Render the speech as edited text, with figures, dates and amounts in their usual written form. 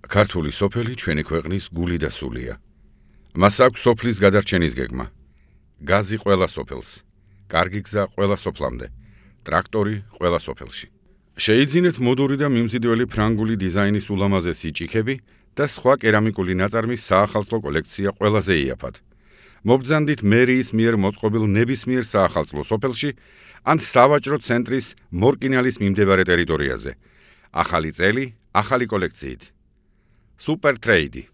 ქართული სოფელი ჩვენი ქვეყნის გული და სულია. მას აქვს სოფლის გადარჩენის გეგმა. გაზი ყველა სოფელს, კარგი გზა ყველა სოფლამდე, ტრაქტორი ყველა სოფელში. შეიძინეთ მოდური და მიმზიდველი ფრანგული დიზაინის ულამაზესი ჭიქები და სხვა კერამიკული ნაწარმის საახალწლო კოლექცია ყველაზე იაფად. მობრძანდით მერიის მიერ მოწყობილ ნებისმიერ საახალწლო სოფელში ან სავაჭრო ცენტრის მორკინალის მიმდებარე ტერიტორიაზე. ახალი წელი, ახალი კოლექციით. Super Trade.